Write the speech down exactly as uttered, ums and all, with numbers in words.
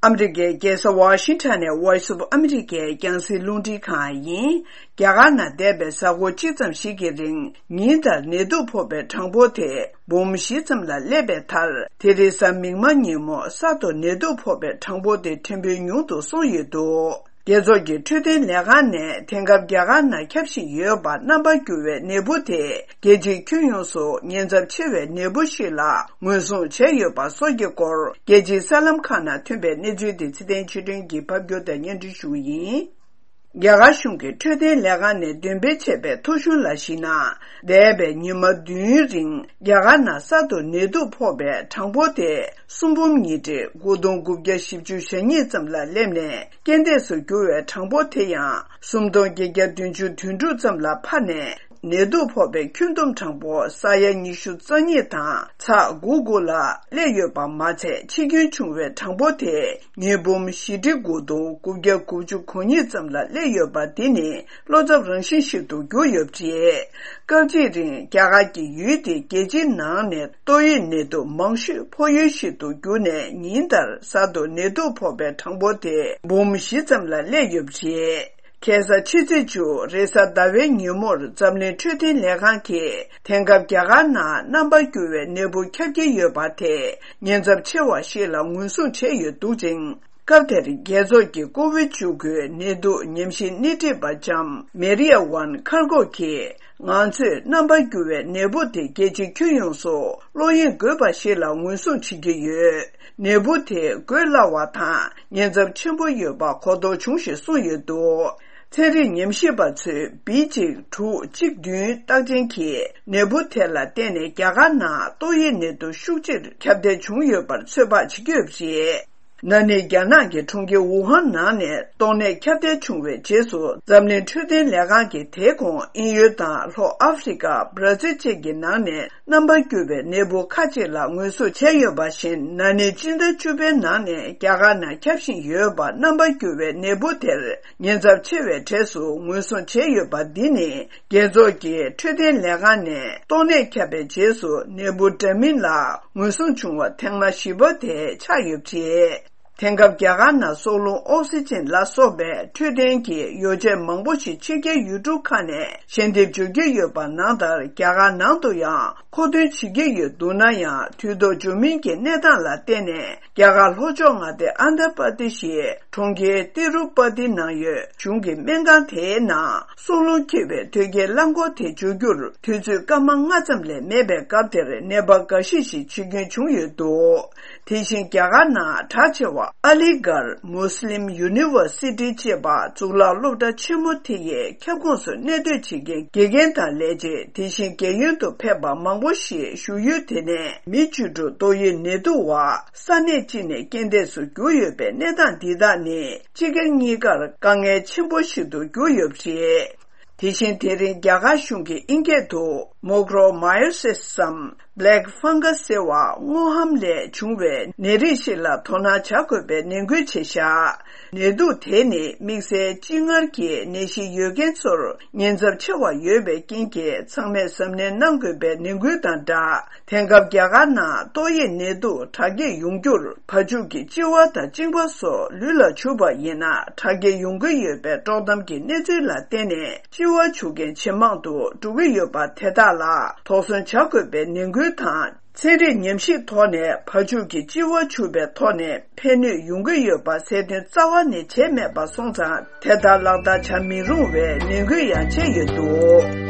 ཨ་མི་རི་ཀའི་རྒྱལ་ས་ཝ་ཤིང་ཊོན་ནས་Voice of America་རྒྱང་སྲིང་རླུང་འཕྲིན་ཁང་ཡིན། རྒྱ་གར་ནང་འདས་པའི་གཟའ་འཁོར་གཅིག་ཙམ་ཞིག་གི་རིང་ཉིན་ལྟར་ནད་དུག་ཕོག་པའི་གྲངས་འབོར་དེ་འབུམ་བཞི་ཙམ་ལ་སླེབས་པའི་མཐར། དེ་རིང་གཟའ་མིག་དམར་ཉིན་མོ་གསར་དུ་ནད་དུག་ཕོག་པའི་གྲངས་འབོར་དེ་ཕྲན་བུ་ཉུང་དུ་སོང་ཡོད་འདུག་རྒྱལ་ཚོགས་ཀྱི་འཕྲོད་བསྟེན་ལས་ཁང་ནས་དེང་སྐབས་རྒྱ་གར་ནང་ཁྱབ་བཞིན་ཡོད་པ་རྣམ་པར་འགྱུར་བའི་ནད་འབུ་དེ། རྒྱལ་སྤྱིའི་ཁྱོན་ཡོངས་སུ་ཉེན་ཚབས་ཆེ་བའི་ནད་འབུ་ཞིག་ལ་ངོས་བཟུང་བྱས་ཡོད་པ་སོགས་ཀྱི་སྐོར། རྒྱལ་སྤྱིའི་གསར་ལམ་ཁག་ནང་ཐོན་པའི་གནས་ཚུལ་དེ་ཚེ་བརྟན་ཆོས་སྒྲོན་གྱིས་ཕབ་སྒྱུར་དང་སྙན་སྒྲོན་ཞུ་གི་ཡིན། རྒྱ་གར་གཞུང་གི་འཕྲོད་བསྟེན་ལས་ཁང་ནས་འདོན་སྤེལ་བྱས་པའི་ཐོ་གཞུང་ལ་གཞིགས་ན། འདས་པའི་ཉི་མ་བདུན་རིང་རྒྱ་གར་ནང་གསར་དུ་ནད་དུག་ཕོག་པའི་གྲངས་འབོར་དེ་སུམ་འབུམ་ཉིས་ཁྲི་དགུ་སྟོང་དགུ་བརྒྱ་བཞི་བཅུ་ཞེ་གཉིས་ཙམ་ལ་སླེབས་ནས། རྐྱེན་འདས་སུ་གྱུར་བའི་གྲངས་འབོར་དེ་ཡང་སུམ་སྟོང་བརྒྱད་བརྒྱ་བདུན་ཅུ་དོན་དྲུག་ཙམ་ལ་འཕར་ནས། ནད་དུག་ཕོག་པའི་ཁྱོན་བསྡོམས་གྲངས་འབོར་ས་ཡ་ཉི་ཤུ་རྩ་གཉིས་དང་ཚེག་དགུ་དགུ་ལ་སླེབས་ཡོད་པ་མ་ཚད། འཆི་སྐྱོན་བྱུང་བའི་གྲངས་འབོར་དེ་ཉིས་འབུམ་བཞི་ཁྲི་དགུ་སྟོང་དགུ་བརྒྱ་དགུ་བཅུ་གོ་གཉིས་ཙམ་ལ་སླེབས་ཡོད་པ་འདི་ནི་བློ་འཚབ་རང་བཞིན་ཞིག་ཏུ་གྱུར་ཡོད་པ་རེད། སྐབས་གཅིག་རིང་རྒྱ་གར་གྱི་ཡུལ་དེ་རྒྱལ་སྤྱིའི་ནང་ནས་ཏོག་དབྱིབས་ནད་དུག་མང་ཤོས་ཕོག་ཡུལ་ཞིག་ཏུ་གྱུར་ནས། ཉིན་ལྟར་གསར་དུ་ནད་དུག་ཕོག་པའི་གྲངས་འབོར་དེ་འབུམ་བཞི་ཙམ་ལ་སླེབས་ཡོད་པ་རེད། ཁ་སང་ཕྱི་ཚེས་བཅུ་རེས་གཟའ་ཟླ་བའི་ཉིན་མོར་འཛམ་གླིང་འཕྲོད་བསྟེན་ལས་ཁང་གིས། དེང་སྐབས་རྒྱ་གར་ནང་རྣམ་པར་འགྱུར་བའི་ནད་འབུ་ཁྱབ་ཀྱི་ཡོད་པ་དེ་ཉེན་ཚབས་ཆེ་བ་ཞིག་ལ་ངོས་བཟུང་བྱས་ཡོད་འདུག་ཅིང་། སྐབས་དེར་རྒྱལ་ཚོགས་ཀྱི་ཀོ་བིཌ་བཅུ་དགུ་ནད་དུག་ཉམས་ཞིབ་སྣེ་ཁྲིད་པ་ལྕམ་མེ་རི་ཡ་ཝན་ཁར་གོ་གིས། ང་ཚོས་རྣམ་པར་འགྱུར་བའི་ནད་འབུ་དེ་རྒྱལ་སྤྱིའི་ཁྱོན་ཡོངས་སུ་བློ་གཡེང་དགོས་པ་ཞིག་ལ་ངོས་བཟུང་བྱེད་ཀྱི་ཡོད། ནད་འབུ་དེ་འགོས་སླ་བ་དང་ཉེན་ཚབས་ཆེན་པོ་ཡོད་པ་གོ་རྟོགས་བྱུང་ཞེས་གསུངས་ཡོད་འདུག་ཚན་རིག་ཉམས་ཞིབ་པ་ཚོས་བི་གཅིག་དྲུག་གཅིག་བདུན་རྟགས་ཅན་གྱི་ནད་འབུ་དེ་ལ་བརྟེན་ནས་རྒྱ་གར་ནང་ཏོག་དབྱིབས་ནད་དུག་ཤུགས་ཆེར་ཁྱབ་གདལ་བྱུང་ཡོད་པར་ཚོད་དཔག་བྱེད་ཀྱི་ཡོད་པ་རེད། ན་ནིང་རྒྱ་ནག་གི་གྲོང་ཁྱེར་ཝུ་ཧན་ནང་ནས་ཏོག་ནད་ཁྱབ་གདལ་བྱུང་བའི་རྗེས་སུ། འཛམ་གླིང་འཕྲོད་བསྟེན་ལས་ཁང་གིས་དེའི་གོང་དབྱིན་ཡུལ་དང་ལྷོ་ཨ་ཧྥེ་རི་ཀ། བྷ་ར་ཛིལ་བཅས་ཀྱི་ནང་ནས་རྣམ་པར་འགྱུར་བའི་ནད་འབུ་ཁག་ཅིག་ལ་ངོས་བཟུང་བྱས་ཡོད་པ་བཞིན། ན་ནིང་སྤྱི་ཟླ་བཅུ་པའི་ནང་ནས་རྒྱ་གར་ནང་ཁྱབ་བཞིན་ཡོད་པ་རྣམ་པར་འགྱུར་བའི་ནད་འབུ་དེར་ཉེན་ཚབས་ཆེ་བའི་གྲས་སུ་ངོས་བཟུང་བྱས་ཡོད་པ་འདི་ནི། རྒྱལ་ཚོགས་ཀྱི་འཕྲོད་བསྟེན་ལས་ཁང་ནས་ཏོག་ནད་ཁྱབ་པའི་རྗེས་སུ་ནད་འབུ་འདྲ་མིན་ལ་ངོས་བཟུང་བྱུང་བ་ཐེངས་མ་བཞི་པ་དེ་ཆགས་ཡོད་པ་རེད། དེང་སྐབས་རྒྱ་གར་ནང་སྲོག་རླུང་ཨོག་སི་ཅན་ལ་སོགས་པའི་འཕྲོད་བསྟེན་གྱི་ཡོ་བྱད་མང་པོ་ཞིག་ཕྱི་རྒྱལ་ཡུལ་གྲུ་ཁག་ནས་ཞལ་འདེབས་འབྱོར་གྱི་ཡོད་པ་ནང་ལྟར། རྒྱ་གར་ནང་དུ་ཡང་མཁོ་འདོན་བྱེད་ཀྱི་ཡོད་འདུག་ན་ཡང་། དུས་ཐོག་འབྱོར་མིན་གྱི་གནས་སྟངས་ལ་བརྟེན་ནས། རྒྱ་གར་ལྷོ་ཕྱོགས་མངའ་སྡེ་ཨན་དྷ་པར་དི་ཤིའི་གྲོང་ཁྱེར་ཏི་རུ་པ་ཏི་ནང་ཡོད་གཞུང་གི་སྨན་ཁང་དེའི་ནང་སྲོག་རླུང་འཁྱིལ་བའི་དོས་སྐྱེལ་རླངས་འཁོར་དེ་འབྱོར་རྒྱུར་དུས་ཚོད་སྐར་མ་ལྔ་ཙམ་ལས་མེད་པའི་སྐབས་དེར། ནད་པ་འགའ་ཤས་ཤིག་འཆི་སྐྱོན་བྱུང་ཡོད་འདུག་དེ་བཞིན་རྒྱ་གར་ནང་གྲགས་ཆེ་བ་ཨ་ལི་གྷར་མུས་ལིམ་ཡུ་ནི་ཝར་སི་ཊི་ཅེས་པ་གཙུག་ལག་སློབ་གྲྭ་ཆེན་མོ་དེ་ཡི་ཁྱབ་ཁོངས་སུ་གནས་སྡོད་བྱེད་མཁན་དགེ་རྒན་དང་ལས་བྱེད། དེ་བཞིན་རྒས་ཡོལ་དུ་ཕེབས་པ་མང་པོ་ཞིག་བཞུགས་ཡུལ་དེ་ནས་མི་བཅུ་དྲུག་ཏོག་དབྱིབས་ནད་དུག་བ་ས་གནས་གཅིག་ནས་རྐྱེན་འདས་སུ་གྱུར་ཡོད་པའི་གནས་སྟངས་འདི་དག་ནི། སྤྱི་སྒེར་གཉིས་ཀར་དཀའ་ངལ་ཆེན་པོ་ཞིག་ཏུ་གྱུར་ཡོད་པ་རེད། དེ་བཞིན་དེ་རིང་རྒྱ་གར་གཞུང་གིས་ཨིན་སྐད་དུ་མོག་རོ་མའི་ཨོ་སི་སི་སམ། Black Fungus ཟེར་བ་སྔོ་ཧམ་ལས་བྱུང་བའི་ནད་རིགས་ཤིག་ལ་དོ་སྣང་བྱ་དགོས་པའི་ནན་སྐུལ་བྱས་བཞག་ནད་དུག་དེ་ནི་དམིགས་བསལ་གཅིན་མངར་གྱི་ནད་གཞི་ཡོད་མཁན་ཚོར་ཉེན་ཚབས་ཆེ་བ་ཡོད་པའི་རྐྱེན་གྱིས། ཚང་མས་གཟབ་ནན་གནང་དགོས་པའི་ནན་སྐུལ་དང་སྦྲགས། དེང་སྐབས་རྒྱ་གར་ནང་ཏོག་དབྱིབས་ནད་དུག་དྲག་སྐྱེད་ཡོང་རྒྱུར་བ་ཕྱུགས་ཀྱི་ལྕི་བ་དང་གཅིན་པ་སོགས་ལུས་ལ་བྱུགས་པ་ཡིན་ན་དྲག་སྐྱེད་ཡོང་གི་ཡོད་པའི་དཀྲོག་གཏམ་གྱི་གནས་ཚུལ་ལ་བརྟེན་ནས། ལྕི་བ་བྱུག་མཁན་ཇེ་མང་དུ་འགྲོ་གི་ཡོད་པ་དེ་དག་ལ་དོགས་ཟོན་བྱ་དགོས་པའི་ནན་སྐུལ་དང་། ཚན་རིག་ཉམས་ཞིབ་ཐོག་ནས་བ་ཕྱུགས་ཀྱི་ལྕི་བ་བྱུག་པའི་ཐོག་ནས་ཕན་ནུས་ཡོང་གི་ཡོད་པ་གསལ་སྟོན་རྩ་བ་ནས་བྱས་མེད་པ་སོང་ཙང་། དེ་ལྟར་ལག་བསྟར་བྱ་མི་རུང་བའི་ནན་སྐུལ་ཡང་བྱས་ཡོད་འདུག